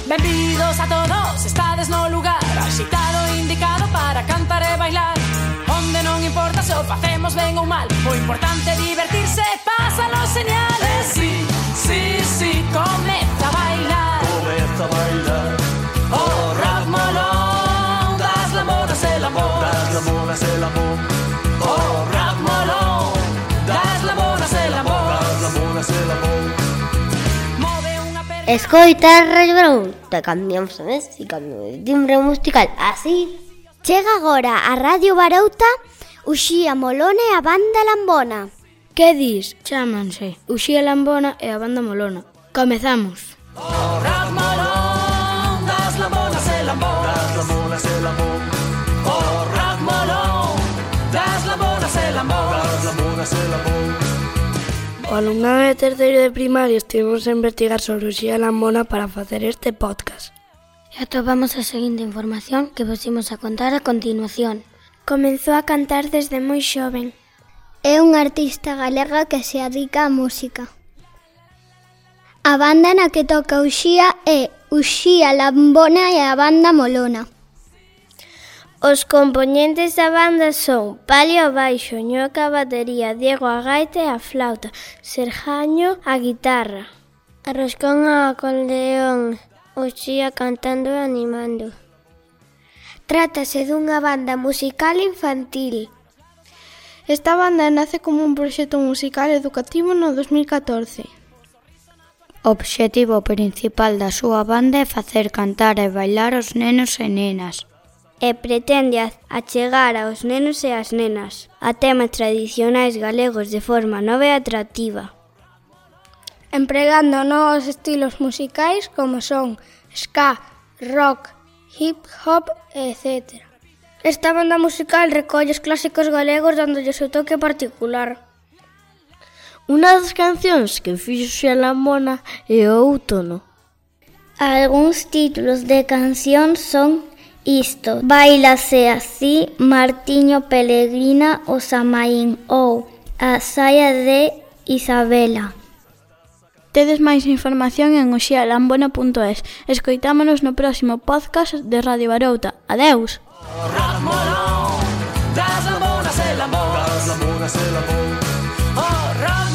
Benvidos a todos, estades no lugar axitado indicado para cantar e bailar. Onde non importa se o facemos ben ou mal, o importante é divertirse e pásalo señales. Sí, sí, sí, comeza a bailar. Comeza a bailar. O rap molón das lamonas e lamón. Das lamonas e lamón. O rap molón das lamonas e lamón. Das lamonas e lamón. Escoita Radio Barouta, cambiamos a mes e cambiamos de timbre musical, así. Chega agora a Radio Barouta Uxía Molona e a Banda Lambona. Que dis? Chámanse Uxía Lambona e a Banda Molona. Comezamos. O rap molón das lamonas e lamón. Das lamonas e lamón. O rap molón das lamonas e lamón. Das lamonas e lamón. O alumnado de terceiro de primaria estivemos a investigar sobre Uxía Lambona para facer este podcast. E atopamos a seguinte información que vos imos a contar a continuación. Comezou a cantar desde moi xoven. É unha artista galega que se dedica á música. A banda na que toca Uxía é Uxía Lambona e a Banda Molona. Os compoñentes da banda son Palio a baixo, Ñoca a batería, Diego a gaita e a flauta, Serjaño a guitarra, Arroscón a acordeón, Uxía cantando e animando. Trátase dunha banda musical infantil. Esta banda nace como un proxecto musical educativo no 2014. O obxectivo principal da súa banda é facer cantar e bailar os nenos e nenas. E pretende achegar aos nenos e as nenas a temas tradicionais galegos de forma nova e atractiva, empregando novos estilos musicais como son ska, rock, hip hop, etc. Esta banda musical recolle os clásicos galegos dándolle o seu toque particular. Unha das cancións que fixo Uxía Lambona é o Outono. Algúns títulos de canción son Isto, Bailase así, Martiño Pelegrina, o Samaín ou A saia de Isabela. Tedes máis información en uxialambona.es. Escoitámonos no próximo podcast de Radio Barouta. Adeus! Rap molón das lamonas e lamón. Das lamonas e lamón. O rap